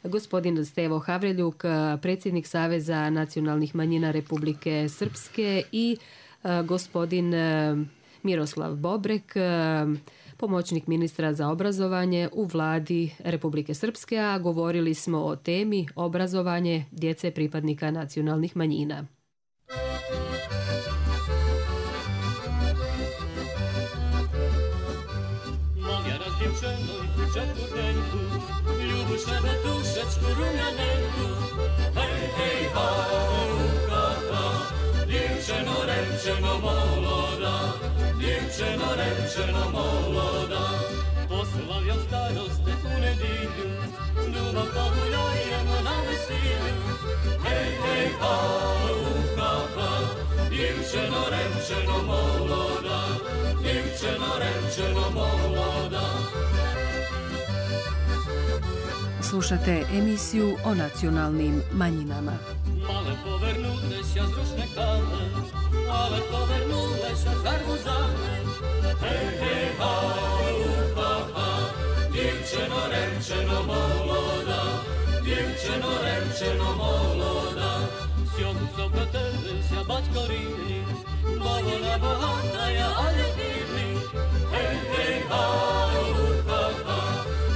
Speaker 2: gospodin Stevo Havreljuk, predsjednik Saveza nacionalnih manjina Republike Srpske i gospodin Miroslav Bobrek, pomoćnik ministra za obrazovanje u vladi Republike Srpske, a govorili smo o temi obrazovanje djece pripadnika nacionalnih manjina.
Speaker 8: Moja razdjevčenoj četvrtenku, ljubuš šebetušečku rumjanenku, hej, hej, ha, ha, ha, djevčeno, remčeno, moloda, djevčeno, remčeno, moloda. Poslavljam staroste u nedilju, ljubav poguljajemo na vesilju, hej, hej, ha, ha, ha, djevčeno, remčeno, moloda, djevčeno, remčeno, moloda.
Speaker 2: Slušate emisiju o nacionalnim manjinama.
Speaker 8: Ale povrnute się z różnych kamer, ale povrnule się z arbuzami. Hej, hej, ha, ha, ha, djevčeno, remčeno, moloda, djevčeno, remčeno, moloda. Sjocu pro tebe się baćko rini, bolona bohata ja, ale bili. Hej, hej, ha, ha, ha,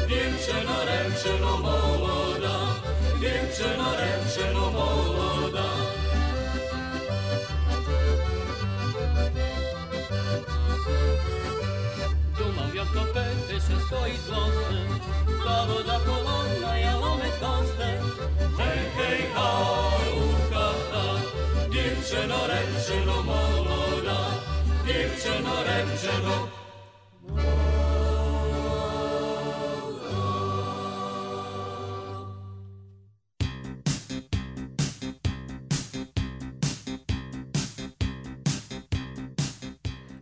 Speaker 8: djevčeno, remčeno, moloda, djevčeno, remčeno, moloda. Dumam jak to pęty się stoi zlosne, ta woda kolonna ja lomet kostek. Hej, hej, ha, ha, ha, djevčeno, remčeno, moloda, djevčeno, remčeno,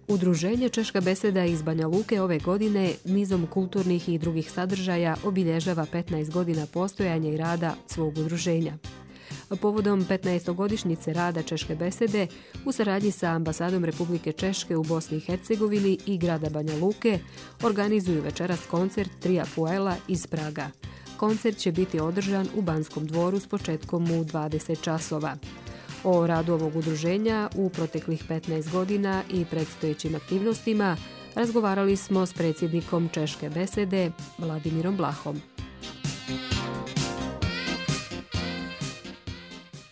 Speaker 2: Udruženje Češka beseda iz Banja Luke ove godine nizom kulturnih i drugih sadržaja obilježava 15 godina postojanja i rada svog udruženja. Povodom 15-godišnjice rada Češke besede u saradnji sa ambasadom Republike Češke u Bosni i Hercegovini i grada Banja Luke organizuju večeras koncert Tria Puela iz Praga. Koncert će biti održan u Banskom dvoru s početkom u 20 časova. O radu ovog udruženja u proteklih 15 godina i predstojećim aktivnostima razgovarali smo s predsjednikom Češke besede Vladimirom Blahom.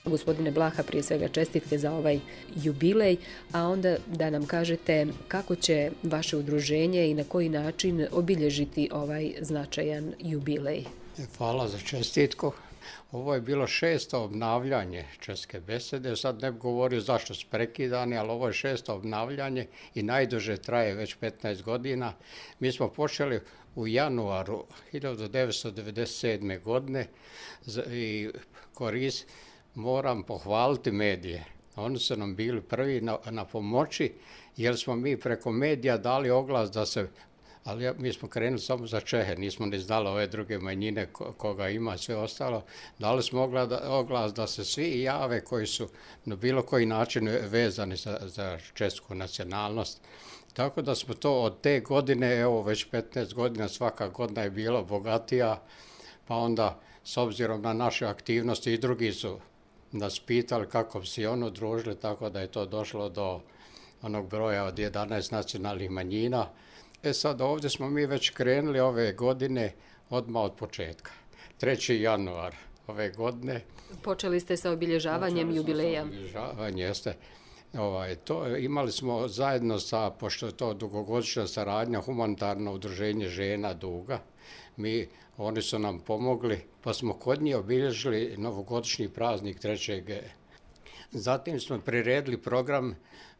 Speaker 2: Gospodine Blaha, prije svega čestitke za ovaj jubilej, a onda da nam kažete kako će vaše udruženje i na koji način obilježiti ovaj značajan jubilej.
Speaker 9: Hvala za čestitku. Ovo je bilo 6. obnavljanje Česke besede, sad ne bi govorio zašto su prekidani, ali ovo je 6. obnavljanje i najduže traje već 15 godina. Mi smo počeli u januaru 1997. godine i moram pohvaliti medije. Oni su nam bili prvi na pomoći, jer smo mi preko medija dali oglas da se, ali mi smo krenuli samo za Čehe, nismo ni znali ove druge manjine koga ima, sve ostalo. Dali smo oglas da se svi jave koji su na bilo koji način vezani za česku nacionalnost. Tako da smo to od te godine, evo već 15 godina, svaka godina je bila bogatija, pa onda s obzirom na naše aktivnosti i drugi su nas pitali kako bi se ono družili, tako da je to došlo do onog broja od 11 nacionalnih manjina. Sad ovdje smo mi već krenuli ove godine odmah od početka. 3. januar ove godine.
Speaker 2: Počeli ste sa obilježavanjem jubileja.
Speaker 9: Jeste. Imali smo zajedno sa, pošto je to dugogodišnja saradnja, humanitarno udruženje žena Duga. Oni su nam pomogli, pa smo kod njih obilježili novogodišnji praznik 3. Zatim smo priredili program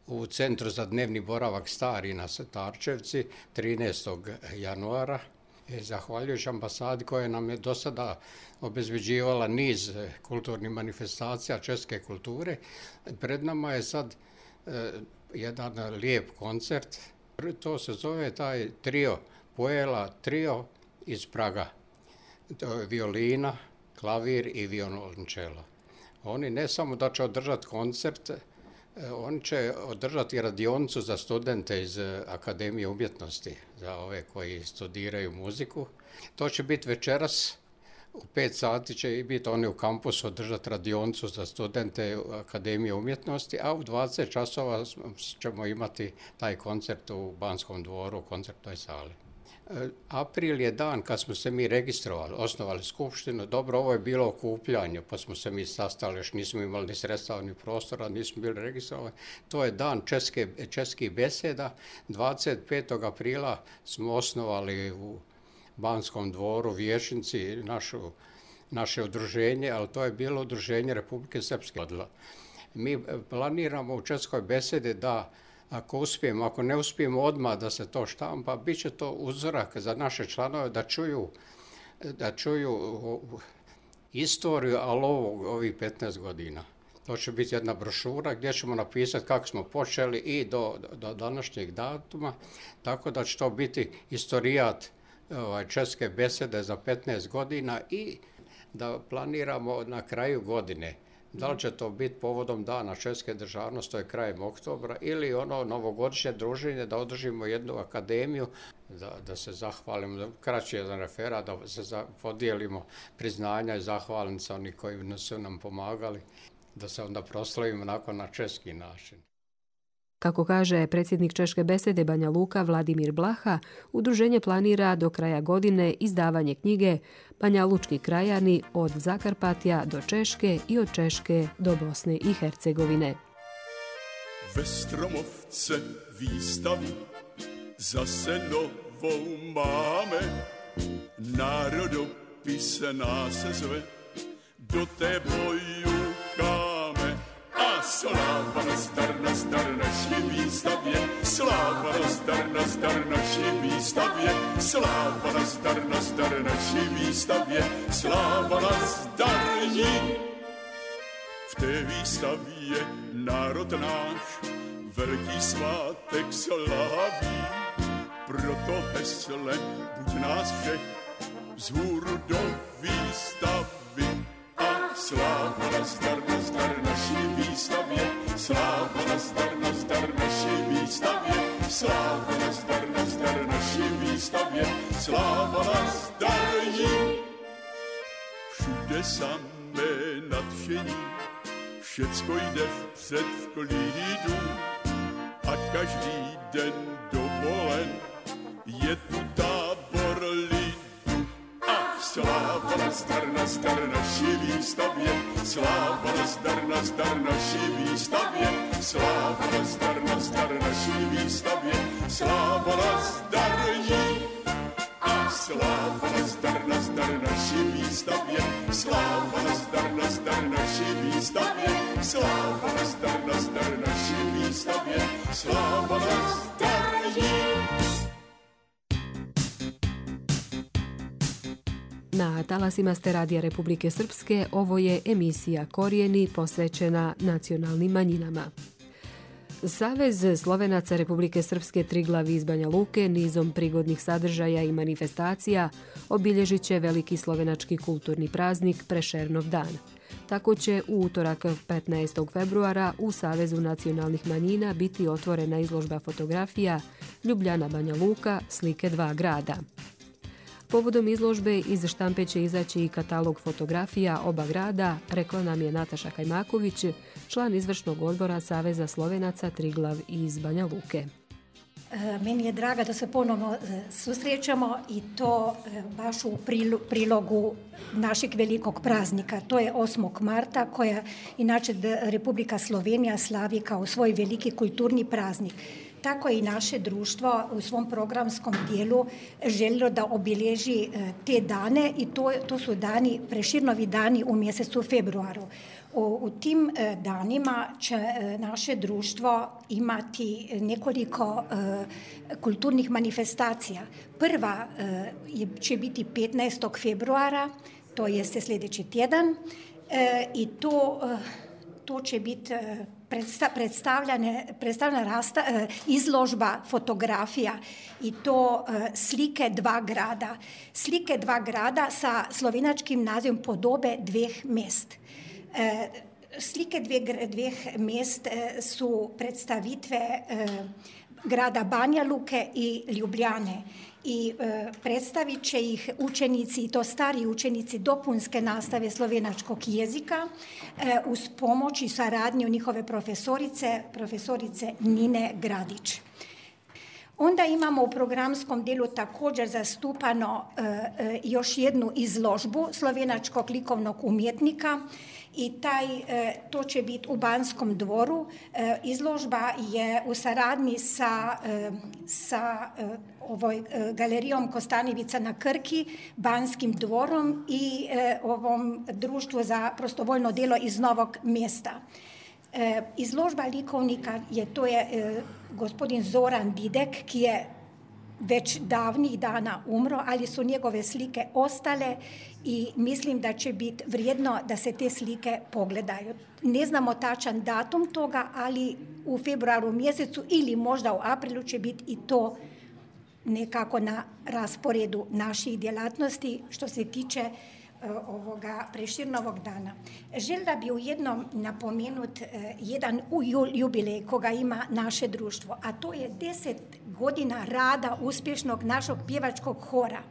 Speaker 9: u Centru za dnevni boravak Stari na Starčevci 13. januara. Zahvaljujući ambasadi koja nam je do sada obezbeđivala niz kulturnih manifestacija česke kulture, pred nama je sad jedan lijep koncert. To se zove taj trio, Poela trio iz Praga. To je violina, klavir i violončelo. Oni ne samo da će održati koncert, oni će održati radionicu za studente iz Akademije umjetnosti, za ove koji studiraju muziku. To će biti večeras, u 5 sati će biti oni u kampusu održati radionicu za studente Akademije umjetnosti, a u 20 časova ćemo imati taj koncert u Banskom dvoru, u koncertnoj sali. April je dan kad smo se mi registrovali, osnovali skupštinu. Dobro, ovo je bilo okupljanje, pa smo se mi sastali, još nismo imali ni sredstava ni prostora, nismo bili registrovani. To je dan českih beseda. 25. aprila smo osnovali u Banskom dvoru vijećnici naše udruženje, ali to je bilo udruženje Republike Srpske. Mi planiramo u českoj besedi da ako uspijemo, ako ne uspijemo odmah da se to štampa, bit će to uzorak za naše članove da čuju istoriju, ali ovih 15 godina. To će biti jedna brošura gdje ćemo napisati kako smo počeli i do današnjeg datuma, tako da će to biti istorijat česke besede za 15 godina i da planiramo na kraju godine. Da li će to biti povodom dana česke državnosti, to je krajem oktobra, ili ono novogodišnje druženje, da održimo jednu akademiju, da se zahvalimo, kraći jedan referat, da se podijelimo priznanja i zahvalnica oni koji su nam pomagali, da se onda proslavimo onako na česki način.
Speaker 2: Kako kaže predsjednik Češke besede Banja Luka Vladimir Blaha, udruženje planira do kraja godine izdavanje knjige Banja Lučki krajani od Zakarpatja do Češke i od Češke do Bosne i Hercegovine.
Speaker 10: Ve Stromovce výstavu zase novou máme, národopise nás zve, do té boju káme. Sláva nazdar naší výstavě, sláva nazdar naší výstavě, sláva nazdar naší výstavě, sláva nazdar ní. V té výstavě národ náš velký svátek slaví, proto hesle buď nás všech vzhůru do výstavy. Sláva nazdar naší výstavě, sláva nazdar naší výstavě, sláva nazdar naší výstavě, sláva nazdar jí. Všude samé nadšení, všecko jde vpřed v klidu a každý den dovolen je tu tábor lidu. Sláva nazdar naší výstavě, sláva nazdar naší výstavě, sláva nazdar naší výstavě, sláva nazdar jí. A sláva nazdar naší výstavě, sláva
Speaker 2: Na talasima ste Radija Republike Srpske, ovo je emisija Korijeni posvećena nacionalnim manjinama. Savez Slovenaca Republike Srpske Triglav iz Banja Luke nizom prigodnih sadržaja i manifestacija obilježit će veliki slovenački kulturni praznik Prešernov dan. Tako će u utorak 15. februara u Savezu nacionalnih manjina biti otvorena izložba fotografija Ljubljana Banja Luka, slike dva grada. Povodom izložbe iz štampe će izaći i katalog fotografija oba grada, rekla nam je Nataša Kajmaković, član izvršnog odbora Saveza Slovenaca Triglav iz Banja Luke.
Speaker 11: Meni je draga da se ponovno susrećemo i to baš u prilogu našeg velikog praznika. To je 8. marta koja inače Republika Slovenija slavi kao svoj veliki kulturni praznik. Tako je i naše društvo u svom programskom dijelu željelo da obilježi te dane i to su dani, Preširnovi dani u mjesecu februaru. U tim danima će naše društvo imati nekoliko kulturnih manifestacija. Prva će biti 15. februara, to jeste sljedeći tjedan, i to će biti predstavljena izložba fotografija i to slike dva grada. Slike dva grada sa slovenačkim nazivom Podobe dveh mest. Slike dveh mest su predstavitve grada Banja Luke i Ljubljane i predstavit će ih učenici, i to stari učenici dopunske nastave slovenačkog jezika uz pomoć i saradnju njihove profesorice Nine Gradić. Onda imamo u programskom dijelu također zastupano još jednu izložbu slovenačkog likovnog umjetnika i to će biti u Banskom dvoru. Izložba je u saradnji sa galerijom Kostanjevica na Krki, Banskim dvorom i ovom društvu za prostovoljno djelo iz Novog Mjesta. Izložba likovnika to je gospodin Zoran Didek, ki je već davnih dana umro, ali su njegove slike ostale i mislim da će biti vrijedno da se te slike pogledaju. Ne znamo tačan datum toga, ali u februaru mjesecu ili možda u aprilu će biti i to nekako na rasporedu naših djelatnosti što se tiče ovoga Preširnovog dana. Željela bi ujedno napomenuti jedan jubilej koga ima naše društvo, a to je 10 godina rada uspješnog našeg pjevačkog hora.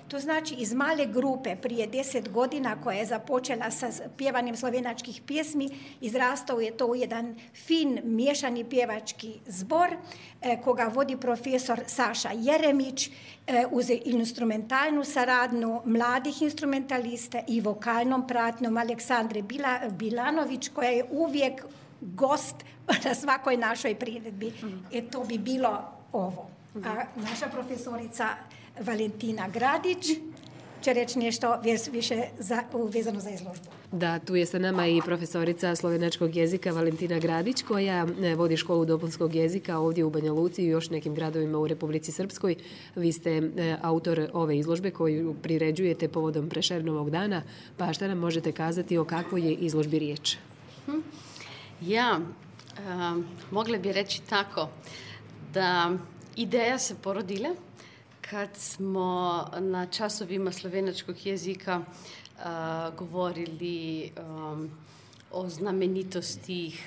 Speaker 11: To znači iz male grupe prije 10 godina koja je započela sa pjevanjem slovenačkih pjesmi, izrastao je to u jedan fin miješani pjevački zbor koga vodi profesor Saša Jeremić uz instrumentalnu saradnju mladih instrumentalista i vokalnom pratnjom Aleksandre Bilanović koja je uvijek gost na svakoj našoj priredbi. To bi bilo ovo. A naša profesorica Valentina Gradić će reći nešto više vezano za izložbu.
Speaker 2: Da, tu je sa nama i profesorica slovenačkog jezika Valentina Gradić koja vodi školu dopunskog jezika ovdje u Banja Luci i još nekim gradovima u Republici Srpskoj. Vi ste autor ove izložbe koju priređujete povodom Prešernovog dana, pa šta nam možete kazati o kakvoj je izložbi riječ?
Speaker 12: Ja, mogla bi reći tako da ideja se porodila kad smo na časovima slovenačkog jezika govorili o znamenitosti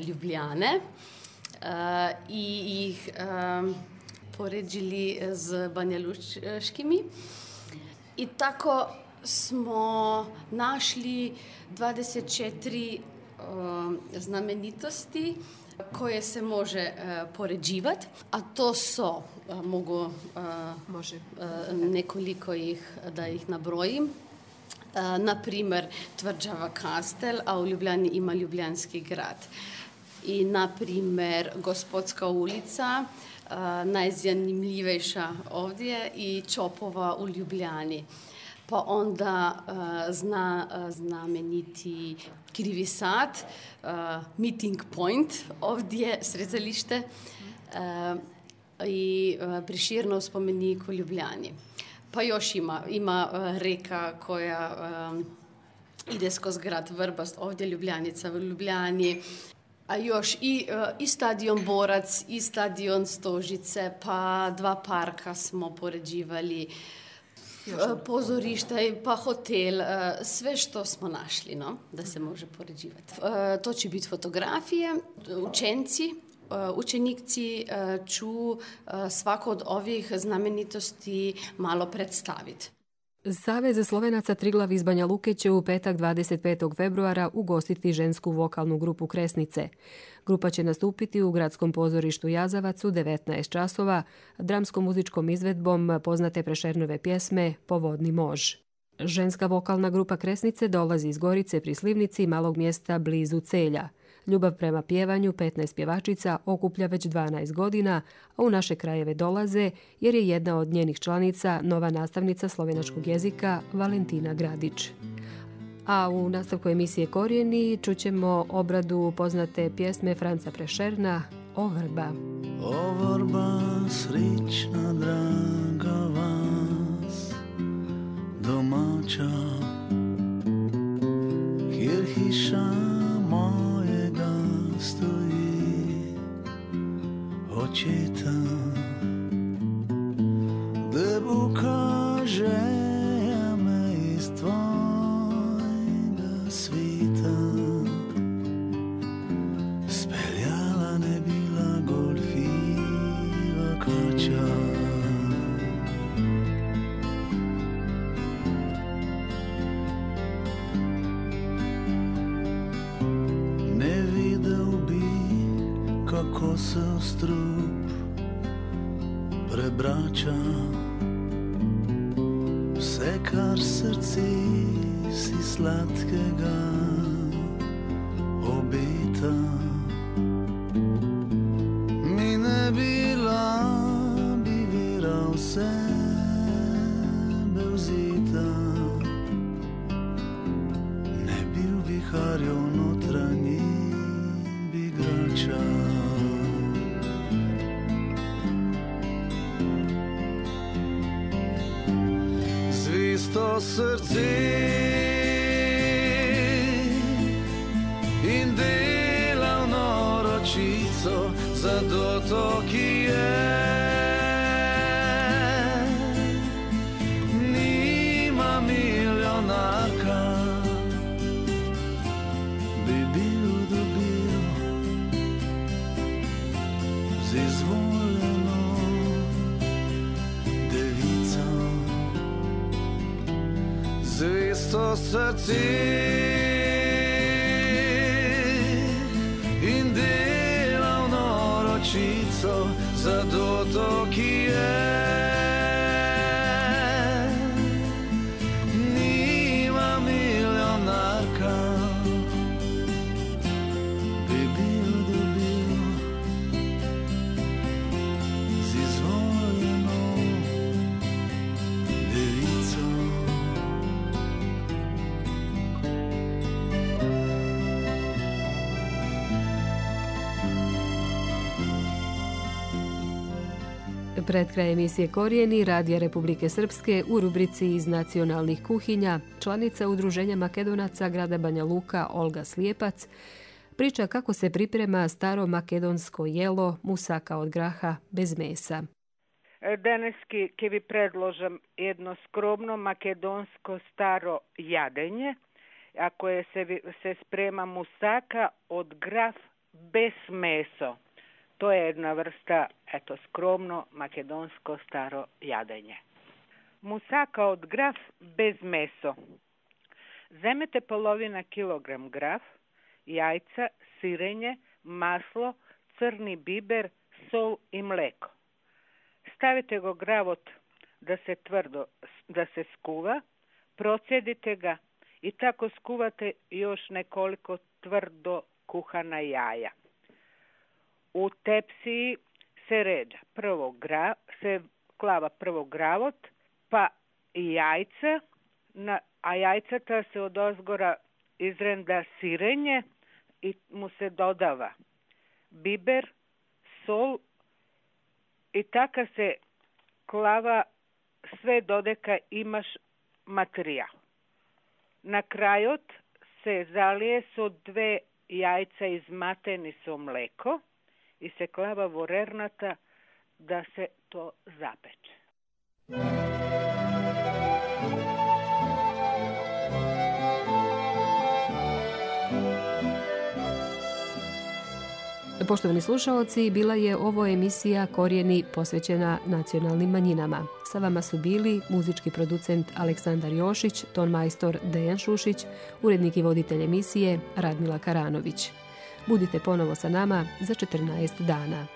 Speaker 12: Ljubljane i ih poređili z banjaluškimi. I tako smo našli 24 znamenitosti koje se može poređivati, a to so, nekoliko da ih nabrojim. Naprimer, Tvrđava Kastel, a u Ljubljani ima Ljubljanski grad. I, naprimer, Gospodska ulica, najzanimljivejša ovdje, i Čopova u Ljubljani. Pa onda znameniti Krivi sad, Meeting Point, ovdje srezalište i Preširnov spomenik u Ljubljani. Pa još ima reka koja ide skoz grad Vrbast, ovdje Ljubljanica u Ljubljani, a još i stadion Borac, i stadion Stožice, pa 2 parka smo poređivali, pozorišta, pa hotel, sve što smo našli, no, da se može poređivati. To će biti fotografije, učenici ću svako od ovih znamenitosti malo predstaviti.
Speaker 2: Savez Slovenaca Triglav iz Banja Luke će u petak 25. februara ugostiti žensku vokalnu grupu Kresnice. Grupa će nastupiti u Gradskom pozorištu Jazavac u 19 časova dramsko-muzičkom izvedbom poznate Prešernove pjesme Povodni mož. Ženska vokalna grupa Kresnice dolazi iz Gorice pri Slivnici, malog mjesta blizu Celja. Ljubav prema pjevanju 15 pjevačica okuplja već 12 godina, a u naše krajeve dolaze jer je jedna od njenih članica nova nastavnica slovenačkog jezika Valentina Gradić. A u nastavku emisije Korijeni čućemo obradu poznate pjesme Franca Prešerna O vrba.
Speaker 13: O vrba, srična draga vas, domaća, kjer hiša mojega stoji, očeta, da ukaže me iz tvojega svita. Speljala ne bila golfiva kača, ne videl bi, kako se strup prebrača, vse kar srci si sladkega obeta. Mi ne bila bi vera v sebe vzita, ne bi v viharju notranji bi igrača. Zvisto srce in delavno ročico za dotoki je. Nima milionarka, bi bil dobil z izvoljeno devico. Zvesto srce in delavno ročico za dotoki je. Nima milionarka, bi bil dobil z izvoljeno devico.
Speaker 2: Pred kraj emisije Korijeni Radija Republike Srpske u rubrici iz nacionalnih kuhinja članica Udruženja Makedonaca grada Banja Luka Olga Slijepac priča kako se priprema staro makedonsko jelo musaka od graha bez mesa.
Speaker 14: Daneski ke vi predložam jedno skromno makedonsko staro jadenje, a koje se sprema musaka od graf bez meso. To je jedna vrsta, skromno makedonsko staro jadenje. Musaka od graf bez meso. Zemete polovina kilogram graf, jajca, sirenje, maslo, crni biber, sol i mleko. Stavite go gravot da se skuva, procedite ga i tako skuvate još nekoliko tvrdo kuhana jaja. U tepsiji se ređa klava prvo gravot, pa i jajca, a jajcata se od ozgora izrenda sirenje i mu se dodava biber, sol i taka se klava sve dodeka imaš materijal. Na kraju se zalije su 2 jajca izmateni su mleko i se klava vorernata da se to zapeče.
Speaker 2: Poštovani slušaoci, bila je ovo emisija Korijeni posvećena nacionalnim manjinama. Sa vama su bili muzički producent Aleksandar Jošić, tonmajstor Dejan Šušić, urednik i voditelj emisije Radmila Karanović. Budite ponovo sa nama za 14 dana.